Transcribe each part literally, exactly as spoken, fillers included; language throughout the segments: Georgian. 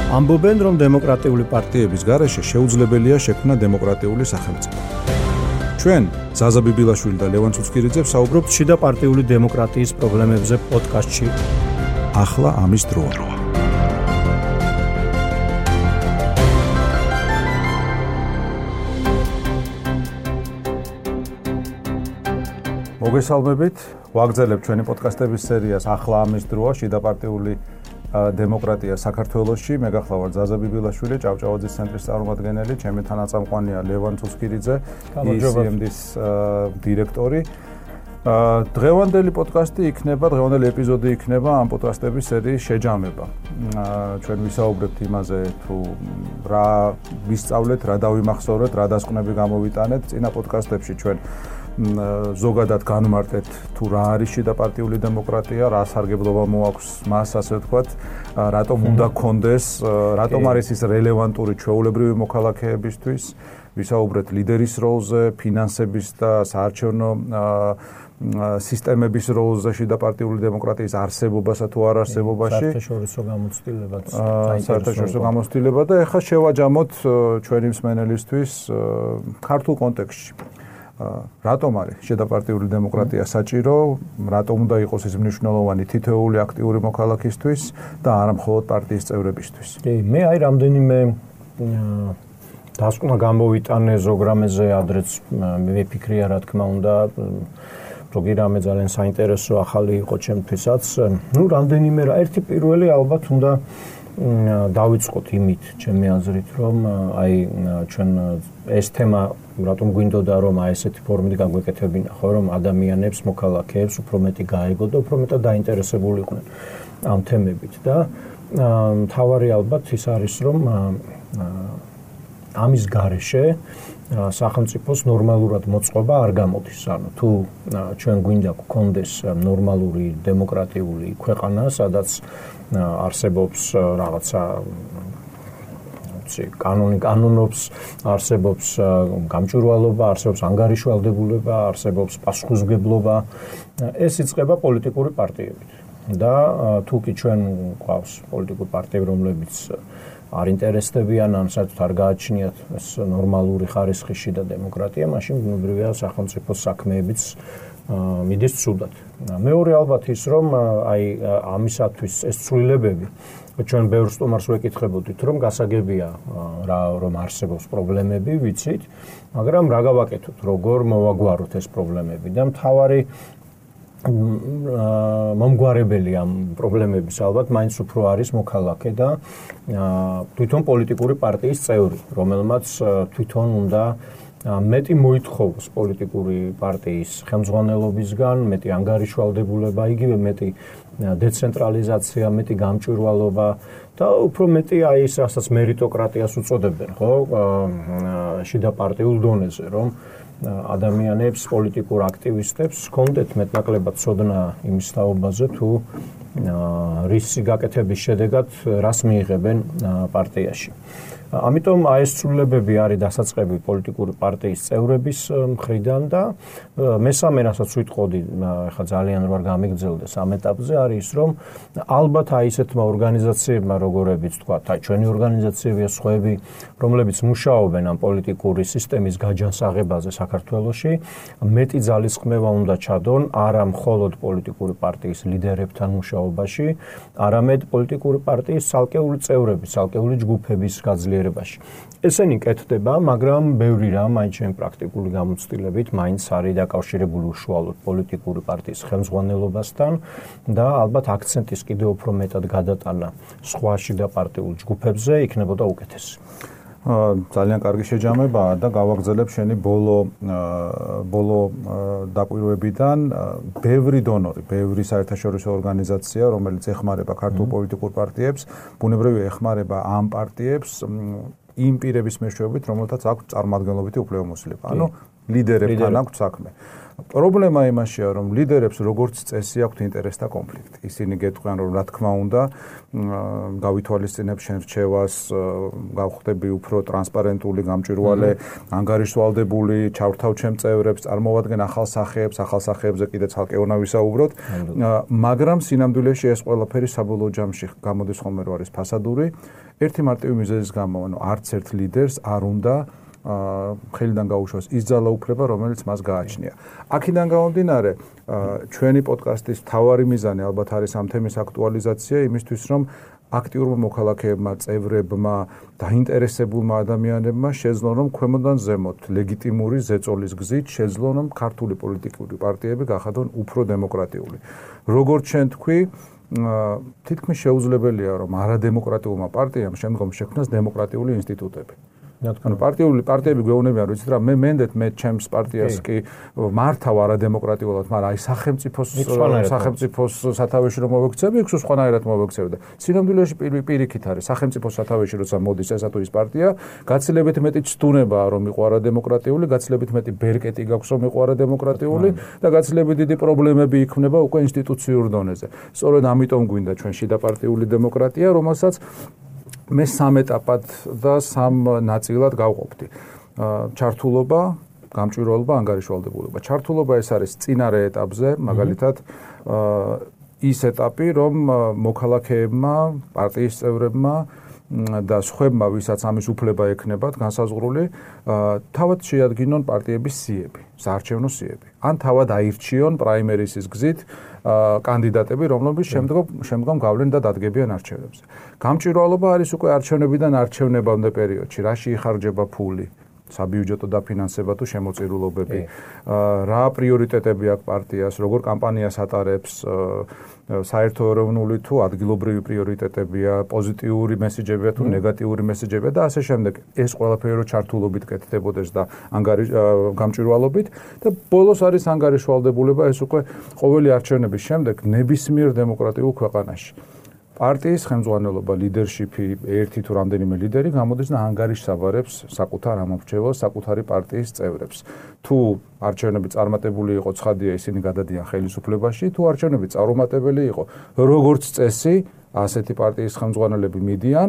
ამბობენ, რომ დემოკრატიული პარტიების გარეშე შეუძლებელია შექმნა დემოკრატიული სახელმწიფო. ჩვენ ზაზა ბიბილაშვილი და ლევან ცუცქირიძე ვსაუბრობთ შიდა პარტიული დემოკრატიის პრობლემებზე პოდკასტში. ახლა ამის დროა. მოგესალმებით, ვაგრძელებთ ჩვენი პოდკასტების სერიას ახლა ამის დროა შიდა პარტიული დემოკრატია საქართველოში. მე გახლავართ ზაზა ბიბილაშვილი, ჭავჭავაძის ცენტრის წარმომადგენელი, ჩემი თანაწამყვანია ლევან ცუცქირიძე, ი სი ემ დის დირექტორი. დღევანდელი პოდკასტი იქნება, დღევანდელი ეპიზოდი იქნება ამ პოდკასტების სერიის შეჯამება. ჩვენ ვისაუბრებთ იმაზე, თუ რა ვისწავლეთ, რა დავიმახსოვრეთ, რა დასკვნები გამოვიტანეთ. წინა პოდკასტებში ჩვენ ზოგადად განმარტეთ თუ რა არის შიდა პარტიული დემოკრატია, რა სარგებლობა მოაქვს მას, ასე ვთქვათ, რატომ უნდა გქონდეს, რატომ არის ის რელევანტური ჩვეულებრივი მოქალაქეებისთვის, ვისაუბრეთ ლიდერის როლზე, ფინანსების და საარჩევნო სისტემების როლზე შიდა პარტიული დემოკრატიის არსებობასა თუ არ არსებობაში. საერთაშორისო გამოცდილებაც, საერთაშორისო გამოცდილება და ეხლა შევაჯამოთ ჩვენი მსმენელისთვის ქართულ კონტექსტში. რატომ არის შიდა პარტიული დემოკრატია საჭირო, რატომ უნდა იყოს ის მნიშვნელოვანი თითოეული აქტიური მოქალაქისთვის და არა მხოლოდ პარტიის წევრებისთვის. კი, მე აი რამდენიმე დასკვნა გამოვიტანე ზოგ რამეზე, ადრეც მივიფიქრია, რა თქმა უნდა, ზოგი რამე ძალიან საინტერესო ახალი იყო ჩემთვისაც. ნუ რამდენიმე რა, ერთი პირველი ალბათ უნდა დავიწყოთ იმით, ჩემი აზრით, რომ აი ჩვენ ეს თემა რატომ გვინდოდა რომ აი ესეთი ფორმით გაგვეკეთებინა, ხო, რომ ადამიანებს, მოქალაქეებს უფრო მეტი გაეგო და უფრო მეტად დაინტერესებული იყვნენ ამ თემებით და მთავარი ალბათ ის არის, რომ ამის გარეშე სახელმწიფოს ნორმალურად მოწყობა არ გამოდის. ანუ თუ ჩვენ გვინდა გქონდეს ნორმალური დემოკრატიული ქვეყანა, სადაც არსებობს რაღაცა კანონი კანონობს, არსებობს გამჭვირვალობა, არსებობს ანგარიშვალდებულება, არსებობს პასუხისმგებლობა, ეს იწყება პოლიტიკური პარტიებით. და თუ კი ჩვენ გვყავს პოლიტიკური პარტიები, რომლებიც არ ინტერესდებიან, ან საერთოდ არ გააჩნიათ ეს ნორმალური ხარისხი შიდა დემოკრატია, მაშინ ბუნებრივია სახელმწიფოს საქმეებიც მიდის ცუდად. მეორე ალბათ ის, რომ აი ამისათვის ეს ცვლილებები ჩვენ ბევრ სტუმარს ვეკითხებოდით, რომ გასაგებია რა რომ არსებობს პრობლემები, ვიცით, მაგრამ რა გავაკეთოთ, როგორ მოვაგვაროთ ეს პრობლემები და მთავარი მომგვარებელი ამ პრობლემების ალბათ მაინც უფრო არის მოქალაქე და თვითონ პოლიტიკური პარტიის წევრი, რომელმაც თვითონ უნდა მეტი მოითხოვოს პოლიტიკური პარტიის ხელმძღვანელობისგან, მეტი ანგარიშვალდებულება, იგივე მეტი დეცენტრალიზაცია, მეტი გამჭვირვალობა და უფრო მეტი აი ის, რასაც მერიტოკრატიას უწოდებენ, ხო, შიდა პარტიულ დონეზე, რომ ადამიანებს, პოლიტიკურ აქტივისტებს ჰქონდეთ მეტნაკლებად ცოდნა იმის თაობაზე, თუ რისი გაკეთების შედეგად რას მიიღებენ პარტიაში. ამიტომ აი ეს ცვლილებები არის დასაწყები პოლიტიკური პარტიის წევრების მხრიდან და მესამე რასაც ვიტყოდი, ახლა ძალიან რო არ გამიგრძელდეს ამ ეტაპზე, არის ის, რომ ალბათ აი ესეთმა ორგანიზაციებმა, როგორებიც თქვა, აი ჩვენი ორგანიზაციები, სხვაები, რომლებიც მუშაობენ ამ პოლიტიკური სისტემის გაჯანსაღებაზე საქართველოში, მეტი ძალისხმევა უნდა ჩადონ არა მხოლოდ პოლიტიკური პარტიის ლიდერებთან მუშაობაში, არამედ პოლიტიკური პარტიის ცალკეული წევრების, ცალკეული ჯგუფების გაძლიერებაში. ესენი კეთდება, მაგრამ ბევრი რამ აი ჩემი პრაქტიკული გამოცდილებით მაინც არის დაკავშირებული უშუალოდ პოლიტიკური პარტიის ხელმძღვანელობასთან და ალბათ აქცენტის კიდევ უფრო მეტად გადატანა სხვა შიდა პარტიულ ჯგუფებზე იქნებოდა უკეთესი. ძალიან კარგი შეჯამებაა და გავაგრძელებ შენი ბოლო ბოლო დაკვირვებიდან. ბევრი დონორი, ბევრი საერთაშორისო ორგანიზაცია, რომელიც ეხმარება ქართულ პოლიტიკურ პარტიებს, ბუნებრივია ეხმარება ამ პარტიებს იმ პირების მეშვეობით, რომელთაც აქვს წარმომადგენლობითი უფლებამოსილება. ანუ ლიდერებთან აქვს საქმე. პრობლემა იმაშია, რომ ლიდერებს როგორც წესი აქვთ ინტერესთა კონფლიქტი. ისინი გეტყვიან, რომ რა თქმა უნდა, გავითვალისწინებ შენ რჩევას, გავხდები უფრო ტრანსპარენტული, გამჭვირვალე, ანგარიშვალდებული, ჩავრთავ ჩემ წევრებს, წარმოვადგენ ახალ სახეებს, ახალ სახეებზე კიდე ცალკე უნდა ვისაუბროთ, მაგრამ სინამდვილეში ეს ყველაფერი საბოლოო ჯამში გამოდის ხოლმე რომ არის ფასადური. ერთი მარტივი მიზეზის გამო, ანუ არც ერთ ლიდერს არ უნდა ხელიდან გაუშვას ის ძალაუფლება, რომელიც მას გააჩნია. აქედან გამომდინარე, ჩვენი პოდკასტის მთავარი მიზანი ალბათ არის ამ თემის აქტუალიზაცია იმისთვის, რომ აქტიურმა მოქალაქეებმა, წევრებმა, დაინტერესებულმა ადამიანებმა შეძლონ, რომ ქვემოდან ზემოთ ლეგიტიმური ზეწოლის გზით შეძლონ, რომ ქართული პოლიტიკური პარტიები გახადონ უფრო დემოკრატიული. როგორც შენ თქვი, თითქმის შეუძლებელია, რომ არადემოკრატიულმა პარტიამ შემდგომ შექმნას დემოკრატიული ინსტიტუტები. ანუ პარტიული პარტიები გვეუბნებიან, რომ იცით რა, მე მენდეთ მე ჩემს პარტიას კი მართავ არადემოკრატიულად, მაგრამ აი სახელმწიფოს სახელმწიფოს სათავეში რომ მოვექცევი, იქ სხვანაირად მოვექცევი და სინამდვილეში პირიქით არის სახელმწიფოს სათავეში როცა მოდის ესა თუ ის პარტია, გაცილებით მეტი ცდუნებაა რომ იყო არადემოკრატიული, გაცილებით მეტი ბერკეტი გაქვს რომ იყო არადემოკრატიული და გაცილებით დიდი პრობლემები იქმნება უკვე ინსტიტუციურ დონეზე. სწორედ ამიტომ გვინდა ჩვენ შიდა პარტიული დემოკრატია, რომელსაც მე სამ ეტაპად და სამ ნაწილად გავყოფდი. ჩართულობა, გამჭვირვალობა, ანგარიშვალდებულება. ჩართულობა ეს არის წინარე ეტაპზე, მაგალითად, ის ეტაპი, რომ მოქალაქეებმა, პარტიის წევრებმა და სხვებმა, ვისაც ამის უფლება ექნებათ, განსაზღვრული, თავად შეადგინონ პარტიების სიები, საარჩევნო სიები. ან თავად აირჩიონ პრაიმერისის გზით კანდიდატები, რომლებიც შემდგომ შემდგომ გავლენ და დადგებიან არჩევნებზე. გამჭვირვალობა არის უკვე არჩევნებიდან არჩევნებამდე პერიოდში, რაში იხარჯება ფული, საბიუჯეტო დაფინანსება თუ შემოწირულობები, რა პრიორიტეტები აქვს პარტიას, როგორ კამპანიას ატარებს, საერთო ეროვნული თუ ადგილობრივი პრიორიტეტებია, პოზიტიური მესიჯებია თუ ნეგატიური მესიჯებია და ასე შემდეგ. ეს ყველაფერი რო ჩართულობით კეთდებოდეს და ანგარიშ გამჭვირვალობით და ბოლოს არის ანგარიშვალდებულება, ეს უკვე ყოველი არჩევნების შემდეგ ნებისმიერ დემოკრატიულ ქვეყანაში. პარტიის ხელმძღვანელობა, ლიდერშიპი, ერთი თუ რამდენიმე ლიდერი გამოდის და ანგარიშს აბარებს საკუთარ ამორჩეველს, საკუთარი პარტიის წევრებს. თუ არჩევნები წარმატებული იყო, ცხადია, ისინი გადადიან ხელისუფლებაში, თუ არჩევნები წარუმატებელი იყო, როგორც წესი, ასეთი პარტიის ხელმძღვანელები მიდიან,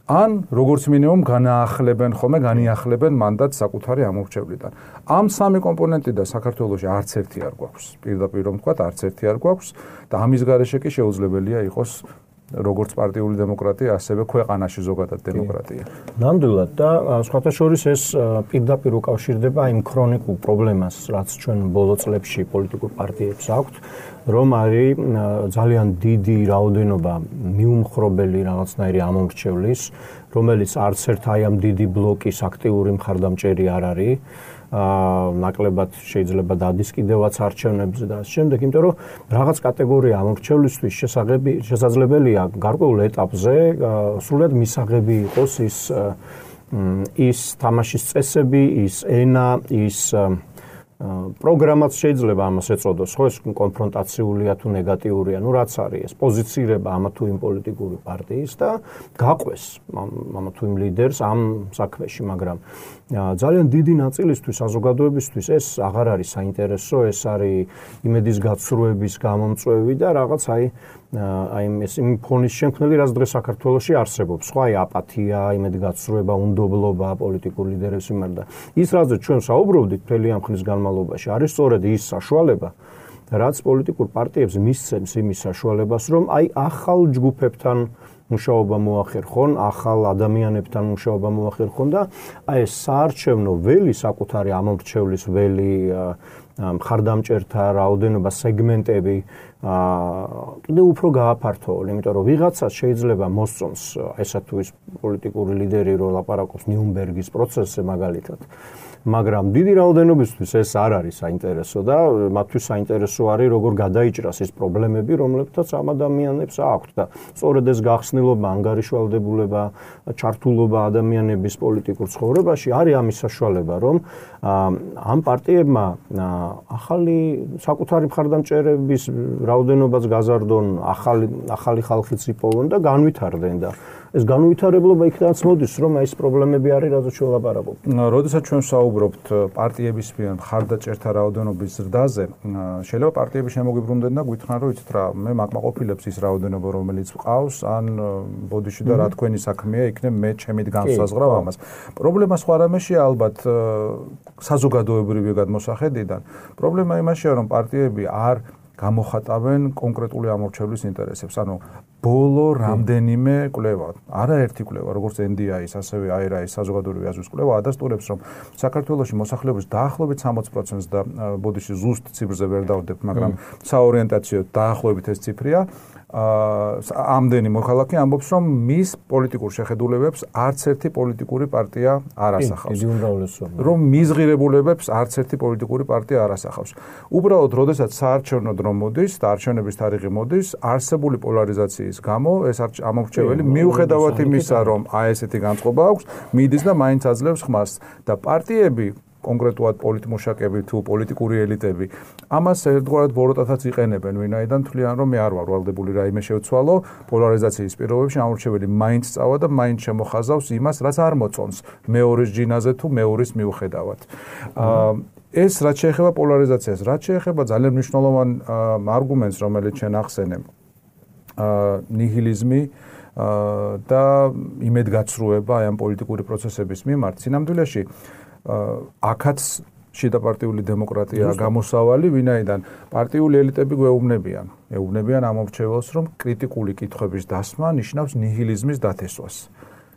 ან როგორც მინიმუმ განაახლებენ ხოლმე, განიახლებენ მანდატს საკუთარი ამორჩევლიდან. ამ სამი კომპონენტიდან საქართველოში არც ერთი არ გვაქვს. პირდაპირ რომ ვთქვათ, არც ერთი არ გვაქვს და ამის გარეშე კი შეუძლებელია იყოს როგორც პარტიული დემოკრატია, ასევე ქვეყანაში ზოგადად დემოკრატია. ნამდვილად და სხვათა შორის ეს პირდაპირ უკავშირდება იმ ქრონიკულ პრობლემას, რაც ჩვენ ბოლო წლებში პოლიტიკურ პარტიებს აქვთ, რომ არის ძალიან დიდი რაოდენობა მიუმხრობელი რაღაცნაირი ამომრჩევლის, რომელიც არც ერთ აი ამ დიდი ბლოკის აქტიური მხარდამჭერი არ არის. ნაკლებად შეიძლება დადის კიდევაც არჩევნებზე და ამ შემდეგ, იმიტომ რომ რაღაც კატეგორია ამორჩევლისთვის შესაძლებელია გარკვეულ ეტაპზე სრულად მისაღები იყოს ის ის თამაშის წესები, ის ენა, ის პროგრამაც შეიძლება ამას ეწოდოს, ხო, ეს კონფრონტაციულია თუ ნეგატიურია, ну რაც არის ეს პოზიცირება ამა თუ იმ პოლიტიკური პარტიის და გაყვეს ამა თუ იმ ლიდერს ამ საქმეში, მაგრამ ძალიან დიდი ნაწილისთვის საზოგადოებისთვის ეს აღარ არის საინტერესო, ეს არის იმედის გაცრუების გამომწვევი და რაღაც აი აი ეს იმ ფონის შემქმნელი, რაც დღეს საქართველოში არსებობს, ხო, აი აპათია, იმედგაცრუება, უნდობლობა პოლიტიკურ ლიდერებს მიმართ და ის რაზეც ჩვენ საუბრობდით მთელი ამ ხნის განმავლობაში, არის სწორედ ის საშუალება, რაც პოლიტიკურ პარტიებს მისცემს იმის საშუალებას, რომ აი ახალ ჯგუფებთან მუშაობა მოახერხონ, ახალ ადამიანებთან მუშაობა მოახერხონ და აი ეს საარჩევნო ველი, საკუთარი ამორჩევლის ველი, მხარდამჭერთა რაოდენობა, სეგმენტები კიდე უფრო გააფართოონ, იმიტომ რომ ვიღაცას შეიძლება მოსწონს ესა თუ ის პოლიტიკური ლიდერი, რო ლაპარაკობს ნიუნბერგის პროცესზე მაგალითად. მაგრამ დიდი რაოდენობისთვის ეს არ არის საინტერესო და მათთვის საინტერესო არის როგორ გადაიჭრას ის პრობლემები, რომლებთაც ამ ადამიანებს აქვთ და სწორედ ეს გახსნილობა, ანგარიშვალდებულება, ჩართულობა ადამიანების პოლიტიკურ ცხოვრებაში არის ამის საშუალება, რომ ამ პარტიებმა ახალი საკუთარი მხარდამჭერების რაოდენობაც გაზარდონ, ახალი ახალი ხალხიც იპოვონ და განვითარდნენ და ეს განუვითარებლობა იქნაც მოდის, რომ აი ეს პრობლემები არის, რაზეც ჩვენ ვლაპარაკობთ. როდესაც ჩვენ ვსაუბრობთ პარტიების მიერ მხარდაჭერთა რაოდენობის ზრდაზე, შეიძლება პარტიები შემოგიბრუნდნენ და გვითხრან, რომ იცით რა, მე მაკმაყოფილებს ის რაოდენობა, რომელიც ყავს, ან ბოდიში და რა თქვენი საქმეა, იქნებ მე ჩემით განსაზღვრავ ამას. პრობლემა სხვა რამეშია ალბათ საზოგადოებრივი გადმოსახედიდან. პრობლემა იმაშია, რომ პარტიები არ გამოხატავენ კონკრეტული ამორჩევლის ინტერესებს. ანუ ბოლო რამდენიმე კვლევა, არაერთი კვლევა, როგორც ენ დი აის, ასევე აი არ აის საზოგადოებრივი აზრის კვლევა ადასტურებს, რომ საქართველოში მოსახლეობის დაახლოებით სამოცი პროცენტს და ბოდიში ზუსტ ციფრზე ვერ დავდებ, მაგრამ საორიენტაციო დაახლოებით ეს ციფრია. ამდენი მოქალაქე ამბობს, რომ მის პოლიტიკურ შეხედულებებს არც ერთი პოლიტიკური პარტია არ ასახავს. რომ მის ღირებულებებს არც ერთი პოლიტიკური პარტია არ ასახავს. უბრალოდ, როდესაც საარჩევნო დრო მოდის და არჩევნების თარიღი მოდის, არსებული პოლარიზაციის გამო ეს ამორჩეველი მიუხედავად იმისა, რომ აი ესეთი განწყობა აქვს, მიდის და მაინც აძლევს ხმას და პარტიები კონკრეტულად პოლიტმუშაკები თუ პოლიტიკური ელიტები ამას ერთგვარად ბოროტათაც იყენებენ, ვინაიდან თვლიან, რომ მე არ ვარ ვალდებული რაიმე შევცვალო, პოლარიზაციის პირობებში ამორჩეველი მაინც წავა და მაინც შემოხაზავს იმას, რაც არ მოწონს მეორის ჯინაზე თუ მეორის მიუხედავად. ეს რაც შეეხება პოლარიზაციას, რაც შეეხება ძალიან მნიშვნელოვან არგუმენტს, რომელიც ჩვენ ახსენებ, ნიჰილიზმი და იმედგაცრუება ამ პოლიტიკური პროცესების მიმართ, სინამდვილეში აქაც შიდა პარტიული დემოკრატია გამოსავალი, ვინაიდან პარტიული ელიტები გვეუბნებიან, ეუბნებიან ამორჩეველს, რომ კრიტიკული კითხვების დასმა ნიშნავს ნიჰილიზმის დათესვას.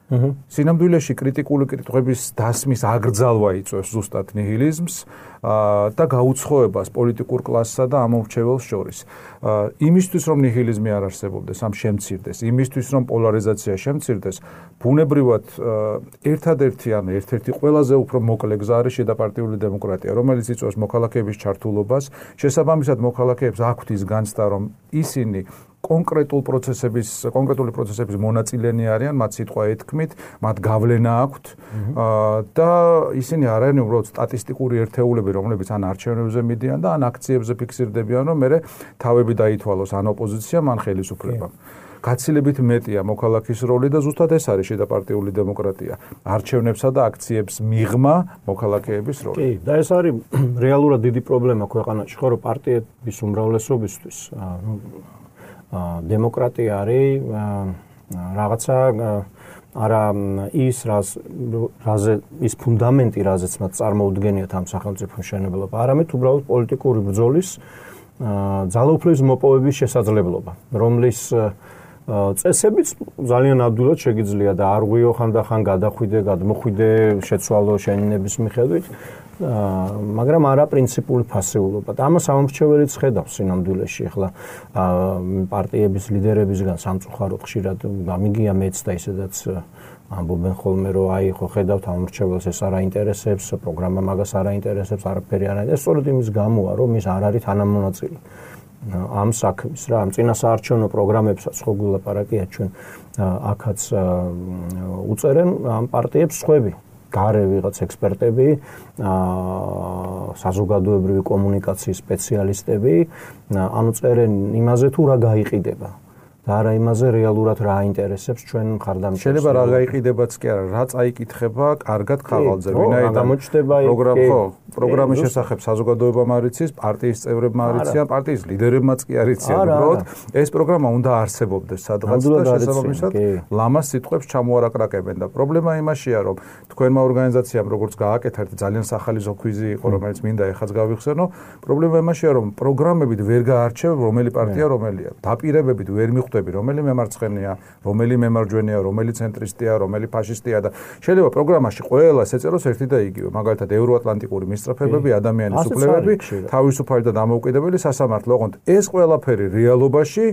სინამდვილეში კრიტიკული კითხვების დასმის აგრძალვა იწვევს ზუსტად ნიჰილიზმს და გაუცხოებას პოლიტიკურ კლასსა და ამორჩეველს შორის. იმისთვის, რომ ნიჰილიზმი არ არსებობდეს, ამ შემცირდეს, იმისთვის, რომ პოლარიზაცია შემცირდეს, ბუნებრივად ერთადერთი ან ერთ-ერთი ყველაზე უფრო მოკლე გზა არის შედაპარტიული დემოკრატია, რომელიც იწვევს მოქალაქეების ჩართულობას, შესაბამისად მოქალაქეებს აქვთ ის განცდა, რომ ისინი კონკრეტულ პროცესების, კონკრეტული პროცესების მონაწილენი არიან, მათ სიტყვა ეთქმით, მათ გავლენა აქვთ და ისინი არ არიან უბრალოდ სტატისტიკური ერთეულები, რომლებიც ან არჩევნებზე მიდიან და ან აქციებზე ფიქსირდებიან, რომ მე თავები დაითვალოს ან ოპოზიცია, ან ხელისუფლება. გაცილებით მეტია მოქალაქის როლი და ზუსტად ეს არის შედაპარტიული დემოკრატია. არჩევნებსა და აქციებს მიღმა მოქალაქეების როლი. კი, და ეს არის რეალურად დიდი პრობლემა ქვეყანაში, ხო, რომ პარტიების უმრავლესობისთვის დემოკრატია არის რაღაცა არა ის რას რაზე ის ფუნდამენტი, რაზეც მათ წარმოუდგენიათ ამ სახელმწიფო მშენებლობა, არამედ უბრალოდ პოლიტიკური ბრძოლის ძალაუფლების მოპოვების შესაძლებლობა, რომლის წესებიც ძალიან ადვილად შეგიძლია და არღვიო ხანდახან გადახვიდე, გადმოხვიდე, შეცვალო შენინების მიხედვით, მაგრამ არა პრინციპული ფასეულობა. და ამას ამორჩეველიც ხედავს სინამდვილეში, ახლა პარტიების ლიდერებისგან სამწუხაროდ ხშირად გამიგია მეც და ისედაც ამბობენ ხოლმე, რომ აი ხო ხედავთ ამორჩეველს ეს არ აინტერესებს, პროგრამა მაგას არ აინტერესებს, არაფერი არ აინტერესებს. სწორედ იმის გამოა, რომ ის არ არის თანამონაწილე ამ საქმის რა, ამ წინასაარჩევნო პროგრამებსაც ხო გულაპარაკია ჩვენ აქაც უწერენ ამ პარტიებს სხვები. გარე ვიღაც ექსპერტები, საზოგადოებრივი კომუნიკაციის სპეციალისტები, ანუ წერენ იმაზე თუ რა გაიყიდება და არა იმაზე რეალურად რა აინტერესებს ჩვენ მხარდამჭერს. შეიძლება რა გაიყიდებაც კი არა, რა წაიკითხება კარგად ხაღალზე, ვინაიდან პროგრამა ხო, პროგრამის შესახებ საზოგადოებამ არ იცის, პარტიის წევრებმა არ იციან, პარტიის ლიდერებმაც კი არ იციან, უბრალოდ ეს პროგრამა უნდა არსებობდეს სადღაც და შესაბამისად ლამას სიტყვებს ჩამოარაკრაკებენ და პრობლემა იმაშია, რომ თქვენმა ორგანიზაციამ როგორც გააკეთა ერთი ძალიან სახალისო ქვიზი იყო, რომელიც მინდა ეხაც გავიხსენო, პრობლემა იმაშია, რომ პროგრამებით ვერ გაარჩევ რომელი პარტია რომელია, დაპირებებით ვერ მიხვდები რომელი მემარცხენეა, რომელი მემარჯვენეა, რომელი ცენტრისტია, რომელი ფაშისტია და შეიძლება პროგრამაში ყველას ეწეროს ერთი და იგივე, მაგალითად ევროატლანტიკური მისწრაფებები, ადამიანის უფლებები, თავისუფალი და დამოუკიდებელი სასამართლო. ოღონდ ეს ყველაფერი რეალობაში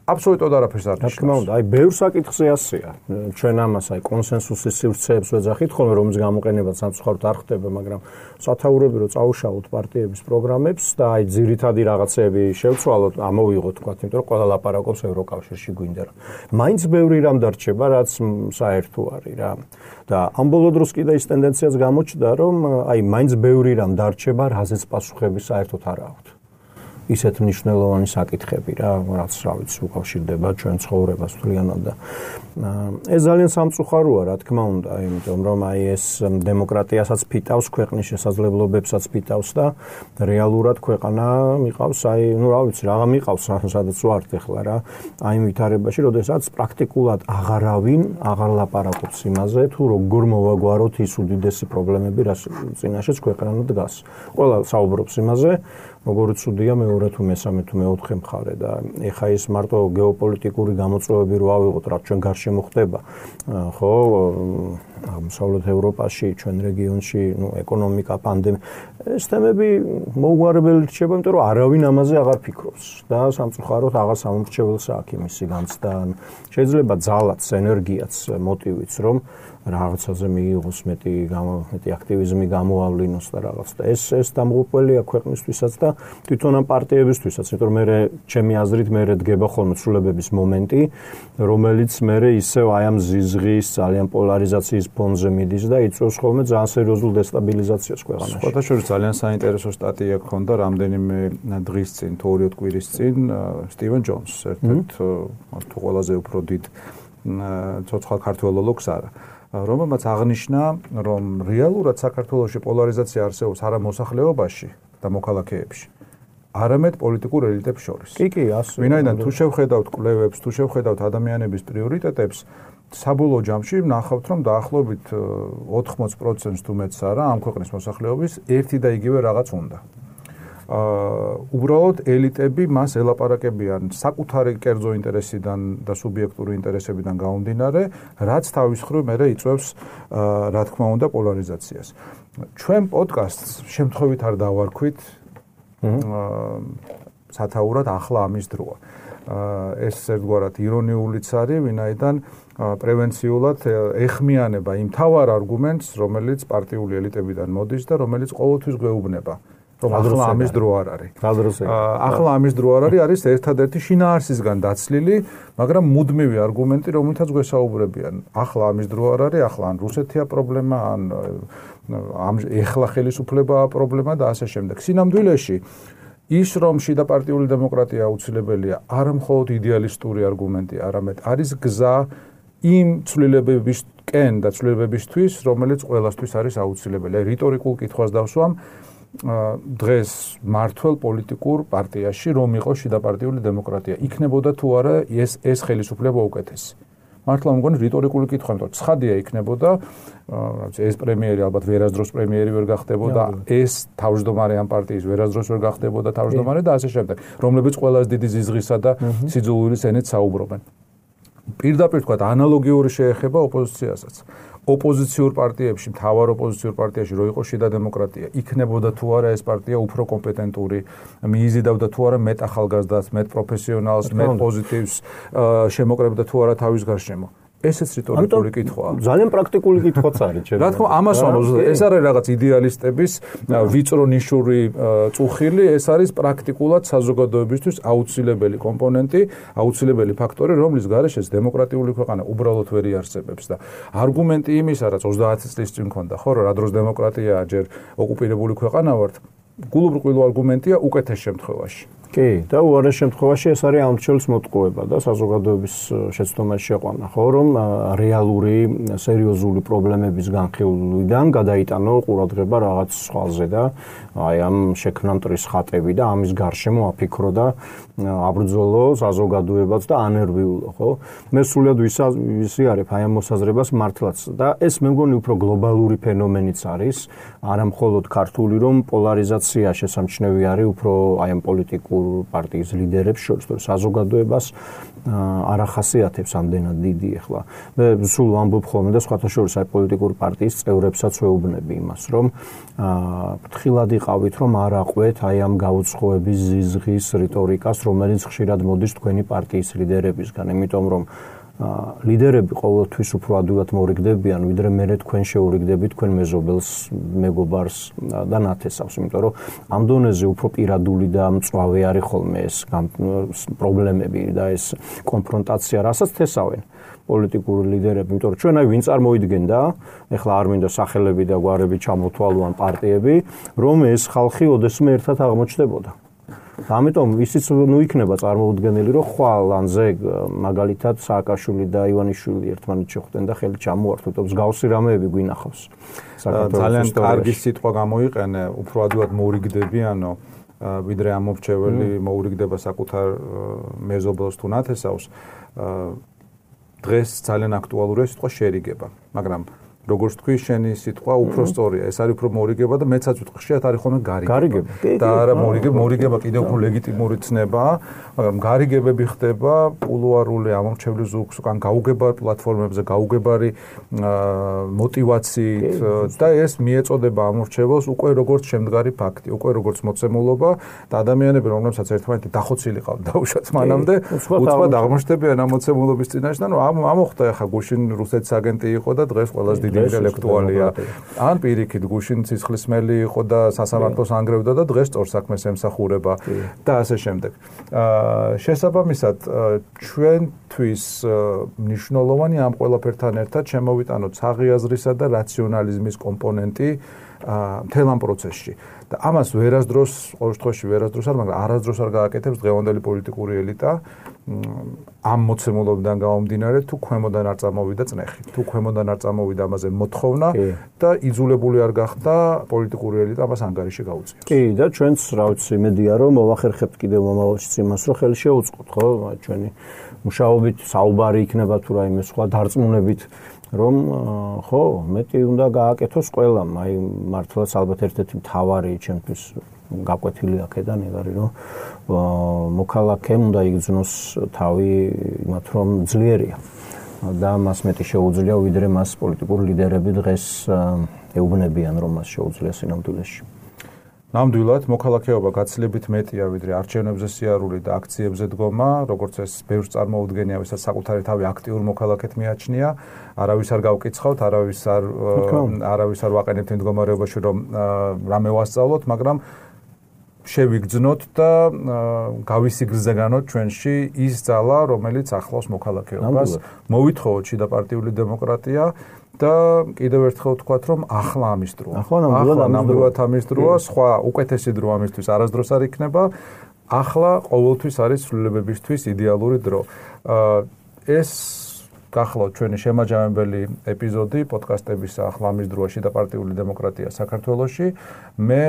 აბსოლუტურად არაფერს არ ნიშნავს. რა თქმა უნდა, აი ბევრ საკითხზე ასეა. ჩვენ ამას აი კონსენსუსის სივრცეებს ვეძახით ხოლმე, რომლის გამოყენება სამწუხაროდ არ ხდება, მაგრამ სათაურები რომ წაუშალოთ პარტიების პროგრამებს და აი ძირითადი რაღაცები შევცვალოთ, ამოვიღოთ თქვა, იმიტომ რომ ყველა ლაპარაკობს ევროკავშირში გვინდა რა. მაინც ბევრი რამ დარჩება, რაც საერთო არის რა. და ამ ბოლო დროს კიდე ის ტენდენციაც გამოჩნდა, რომ აი მაინც ბევრი რამ დარჩება, რაზეც პასუხები საერთოდ არ აქვს. ისეთ მნიშვნელოვანი საკითხები რა, რაც რა ვიცი, უკავშირდება ჩვენ ცხოვრებას თლიანად და ეს ძალიან სამწუხაროა, რა თქმა უნდა, იმიტომ რომ აი ეს დემოკრატიასაც ფიტავს, ქვეყნის შესაძლებლობებსაც ფიტავს და რეალურად ქვეყანა მიყავს, აი, ну, რა ვიცი, რაღა მიყავს, სადაც ვართ ახლა რა, აი ვითარებაში, როდესაც პრაქტიკულად აღარავინ აღარ ლაპარაკობს იმაზე, თუ როგორ მოვაგვაროთ ის უდიდესი პრობლემები, რაც წინაშეც ქვეყანა დგას. ყველა საუბრობს იმაზე, როგორ ცუდია მეორე თუ მესამე თუ მეოთხე მხარე და ეხა ის მარტო გეოპოლიტიკური გამოწვევები რო ავიღოთ, რაც ჩვენ გარშემო ხდება, ხო, აღმოსავლეთ ევროპაში, ჩვენ რეგიონში, ну, ეკონომიკა, პანდემია, ეს თემები მოუგვარებელი რჩება, იმიტომ რომ არავინ ამაზე აღარ ფიქრობს და სამწუხაროდ აღარ სამომრჩეველს აქვს იმისი განცდა. შეიძლება ძალაც, ენერგიაც, მოტივიც, რომ რაღაცაზე მიიღოს მეტი მეტი აქტივიზმი გამოავლინოს და რაღაც და ეს ეს დამღუპველია ქვეყნისთვისაც და თვითონ ამ პარტიებისთვისაც, იმიტომ რომ მე ჩემი აზრით მე დგება ხოლმე ცვლილებების მომენტი, რომელიც მე ისევ აი ამ ზიზღის ძალიან პოლარიზაციის ფონზე მიდის და იწვევს ხოლმე ძალიან სერიოზულ დესტაბილიზაციას ქვეყანაში. სხვათა შორის ძალიან საინტერესო სტატია გქონდა რამდენიმე დღის წინ, თუ ორი კვირის წინ, სტივენ ჯონს, ერთ-ერთ თუ ყველაზე უფრო დიდ ცოცხალ ქართველოლოგს არა. რომელმაც აღნიშნა, რომ რეალურად საქართველოში პოლარიზაცია არსებობს არა მოსახლეობაში და მოქალაქეებში, არამედ პოლიტიკურ ელიტებს შორის. კი, კი, ასე. ვინაიდან თუ შევხედავთ კვლევებს, თუ შევხედავთ ადამიანების პრიორიტეტებს, საბოლოო ჯამში ნახავთ, რომ დაახლოებით ოთხმოცი პროცენტს თუ მეც არა, ამ ქვეყნის მოსახლეობის ერთი და იგივე რაღაც უნდა. აა უბრალოდ ელიტები მას ელაპარაკებიან საკუთარი კერძო ინტერესიდან და სუბიექტური ინტერესებიდან გამომდინარე, რაც თავის მხრივ მერე იწვევს აა რა თქმა უნდა პოლარიზაციას. ჩვენ პოდკასტს შემთხვევით არ დავარქვით აა სათაურად ახლა ამის დროა. აა ეს ერთგვარად ირონიულიც არის, ვინაიდან პრევენციულად ეხმიანება იმ თავარ არგუმენტს, რომელიც პარტიული ელიტებიდან მოდის და რომელიც ყოველთვის გვეუბნება. რომ ახლა ამის დრო არ არის. ახლა ამის დრო არ არის, არის ერთადერთი შინაარსისგან დაცლილი, მაგრამ მუდმივი არგუმენტი, რომელთაც გვესაუბრებიან. ახლა ამის დრო არ არის, ახლა ან რუსეთია პრობლემა, ან ამ ეხლა ხელისუფლებაა პრობლემა და ასე შემდეგ. სინამდვილეში ის რომ შიდა პარტიული დემოკრატია აუცილებელია, არა მხოლოდ იდეალისტური არგუმენტი, არამედ არის გზა იმ ცვლილებებისკენ და ცვლილებებისთვის, რომელიც ყველასთვის არის აუცილებელი. რიტორიკულ კითხვას დავსვამ დღეს მართლ პოლიტიკურ პარტიაში რომ იყო შიდა პარტიული დემოკრატია, იქნებოდა თუ არა ეს ეს ხელისუფლება უკეთესი. მართლა მგონი რიტორიკული კითხვა, იმიტომ ცხადია იქნებოდა, ეს პრემიერი ალბათ ვერასდროს პრემიერი ვერ გახდებოდა, ეს თავმჯდომარე ამ პარტიის ვერასდროს ვერ გახდებოდა თავმჯდომარე და ასე შემდეგ, რომლებიც ყველაზე დიდი ზიზღისა და სიძულვილის ენით საუბრობენ. პირდაპირ თქვა ანალოგიური შეეხება ოპოზიციასაც. ოპოზიციურ პარტიებში, მთავარ ოპოზიციურ პარტიაში რო იყო შიდა დემოკრატია, იქნებოდა თუ არა ეს პარტია უფრო კომპეტენტური, მიიზიდავდა თუ არა მეტ ახალგაზრდას, მეტ პროფესიონალს, მეტ პოზიტივს, შემოკრებდა თუ არა თავის გარშემო. ესეც რიტორიკული კითხვაა. ძალიან პრაქტიკული კითხვაც არის, ჩემი. რა თქმა უნდა, ამას ვამბობ, ეს არის რაღაც იდეალისტების ვიწრო ნიშური წუხილი, ეს არის პრაქტიკულად საზოგადოებისთვის აუცილებელი კომპონენტი, აუცილებელი ფაქტორი, რომლის გარეშეც დემოკრატიული ქვეყანა უბრალოდ ვერ იარსებებს და არგუმენტი იმისა, რაც ოცდაათი წლის წინ მქონდა, ხო, რა დროს დემოკრატია ჯერ ოკუპირებული ქვეყანა ვართ, გულუბრყვილო არგუმენტია უკეთეს შემთხვევაში. კი, და უარეს შემთხვევაში ეს არის ამრჩევლის მოტყუება და საზოგადოების შეცდომაში შეყვანა, ხო, რომ რეალური, სერიოზული პრობლემების განხილვიდან გადაიტანო ყურადღება რაღაც სხვაზე და აი ამ შექმნა მტრის ხატები და ამის გარშემო აფიქრო და აბრძოლო საზოგადოებაც და ანერვიულო, ხო? მე სულად ვისიარებ აი ამ მოსაზრებას მართლაც და ეს მე მგონი უფრო გლობალური ფენომენიც არის, არა მხოლოდ ქართული, რომ პოლარიზაცია შესამჩნევი არის უფრო აი ამ პოლიტიკურ პარტიის ლიდერებს შორის, თორე საზოგადოებას არ ახასიათებს ამდენად დიდი ახლა. მე სულ ვამბობ ხოლმე და სხვათა შორის აი პოლიტიკური პარტიის წევრებსაც ვეუბნები იმას, რომ ფრთხილად იყავით, რომ არ აყვეთ აი ამ გაუცხოების ზიზღის რიტორიკას, რომელიც ხშირად მოდის თქვენი პარტიის ლიდერებისგან, იმიტომ რომ ლიდერები ყოველთვის უფრო ადვილად მორიგდებიან, ვიდრე მერე თქვენ შეურიგდებით თქვენ მეზობელს, მეგობარს და ნათესავს, იმიტომ რომ ამ დონეზე უფრო პირადული და მწვავე არის ხოლმე ეს პრობლემები და ეს კონფრონტაცია, რასაც თესავენ პოლიტიკური ლიდერები, იმიტომ რომ ჩვენ აი ვინ წარმოიდგენდა, ეხლა არ მინდა სახელები და გვარები ჩამოთვალო ან პარტიები, რომ ეს ხალხი ოდესმე ერთად აღმოჩნდებოდა. ამიტომ ისიც ნუ იქნება წარმოუდგენელი, რომ ხვალ ანზე მაგალითად სააკაშვილი და ივანიშვილი ერთმანეთს შეხვდნენ და ხელი ჩამოართვეთ, მსგავსი რამეები გვინახავს. ძალიან კარგი სიტყვა გამოიყენე, უფრო ადვილად მოურიგდებიანო, ვიდრე ამორჩეველი მოურიგდება საკუთარ მეზობელს თუ ნათესავს. დღეს ძალიან აქტუალურია სიტყვა შერიგება, მაგრამ როგორც თქვი, შენი სიტყვა უფრო სწორია. ეს არის უფრო მორიგება და მეცაც ვიტყვი, ხშირად არის ხოლმე გარიგება. და არა მორიგება, მორიგება კიდევ უფრო ლეგიტიმური ცნებაა, მაგრამ გარიგებები ხდება კულუარული ამორჩევლის ზუგს, უკან გაუგებარ პლატფორმებზე, გაუგებარი მოტივაციით და ეს მიეწოდება ამორჩეველს უკვე როგორც შემდგარი ფაქტი, უკვე როგორც მოცემულობა და ადამიანები, რომლებსაც ერთმანეთი დახოცილი ყავთ დაუშვათ მანამდე, უცბად აღმოჩნდებიან ამ მოცემულობის წინაშე და ნუ ამოხდა ახლა გუშინ რუსეთის აგენტი იყო და დღეს ყველას დიდი ინტელექტუალია. ან პირიქით გუშინ ცისხლისმელი იყო და სასამართლოს ანგრევდა და დღეს სწორ საქმეს ემსახურება და ასე შემდეგ. შესაბამისად, ჩვენთვის მნიშვნელოვანი ამ ყველაფერთან ერთად შემოვიტანოთ საღიაზრისა და რაციონალიზმის კომპონენტი მთელ ამ პროცესში. და ამას ვერასდროს, ყოველ შემთხვევაში ვერასდროს არ, მაგრამ არასდროს არ გააკეთებს დღევანდელი პოლიტიკური ელიტა ამ მოცემულობიდან გამომდინარე, თუ ქვემოდან არ წამოვიდა წნეხი, თუ ქვემოდან არ წამოვიდა ამაზე მოთხოვნა და იძულებული არ გახდა პოლიტიკური ელიტა ამას ანგარიში გაუწიოს. კი, და ჩვენც რა ვიცი, იმედია რომ მოვახერხებთ კიდევ მომავალშიც იმას, რომ ხელი შეუწყოთ, ხო, ჩვენი მუშაობით საუბარი იქნება თუ რაიმე სხვა დარწმუნებით რომ ხო, მეტი უნდა გააკეთოს ყველამ, აი მართლაც ალბათ ერთ-ერთი მთავარი ჩემთვის გაკვეთილი აქედან არის, რომ მოქალაქემ უნდა იგრძნოს თავი იმათ, რომ ძლიერია და მას მეტი შეუძლია, ვიდრე მას პოლიტიკური ლიდერები დღეს ეუბნებიან, რომ მას შეუძლია სინამდვილეში. ნამდვილად, მოქალაქეობა გაცილებით მეტია, ვიდრე არჩევნებზე სიარული და აქციებზე დგომა, როგორც ეს ბევრს წარმოუდგენია, ვისაც საკუთარი თავი აქტიურ მოქალაქედ მიაჩნია, არავის არ გავკიცხავთ, არავის არ არავის არ ვაყენებთ იმ მდგომარეობაში, რომ რამე ვასწავლოთ, მაგრამ შევიგრძნოთ და გავისიგრძეგანოთ ჩვენში ის ძალა, რომელიც ახლავს მოქალაქეობას. მოვითხოვოთ შიდა პარტიული დემოკრატია და კიდევ ერთხელ ვთქვათ, რომ ახლა ამის დროა. ახლა ნამდვილად ამის დროა, სხვა უკეთესი დრო ამისთვის არასდროს არ იქნება. ახლა ყოველთვის არის ცვლილებებისთვის იდეალური დრო. ეს გახლავთ ჩვენი შემაჯამებელი ეპიზოდი პოდკასტების ახლა ამის დროა შიდა პარტიული დემოკრატია საქართველოში. მე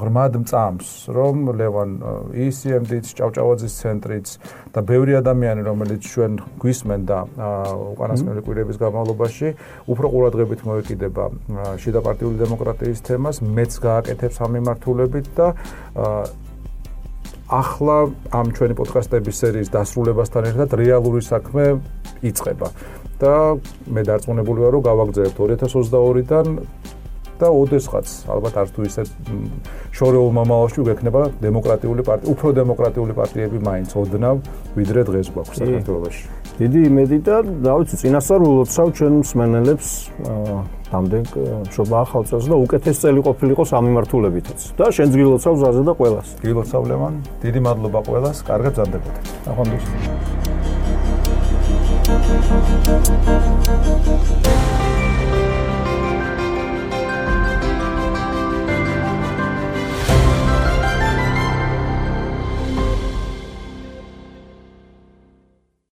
ღრმად მწამს, რომ ლევან ი-სი-ემ-დიც, ჭავჭავაძის ცენტრიც და ბევრი ადამიანი, რომელიც ჩვენ გვისმენ და უკანასკნელი კვირების განმავლობაში უფრო ყურადღებით მოეკიდება შიდა პარტიული დემოკრატიის თემას, მეც გააკეთებს ამ მიმართულებით და ახლა ამ ჩვენი პოდკასტების სერიის დასრულებასთან ერთად რეალური საქმე იწყება და მე დარწმუნებული ვარ, რომ გავაგრძელებთ ორი ათას ოცდაორიდან და ოდესღაც ალბათ არც თუ ისე შორეულ მომავალში გვექნება დემოკრატიული პარტია, უფრო დემოკრატიული პარტიები მაინც ოდნავ, ვიდრე დღეს გვაქვს საქართველოში. დიდი იმედი და რა ვიცი, წინასწარ ულოცავ ჩვენ მსმენელებს ამდენ მშობა ახალ წელს და უკეთეს წელი ყოფილიყო სამიმართულებითაც. და შენც გილოცავ ზაზე და ყველას. გილოცავ ლევან, დიდი მადლობა ყველას, კარგად გზარდებოდეთ. ახლა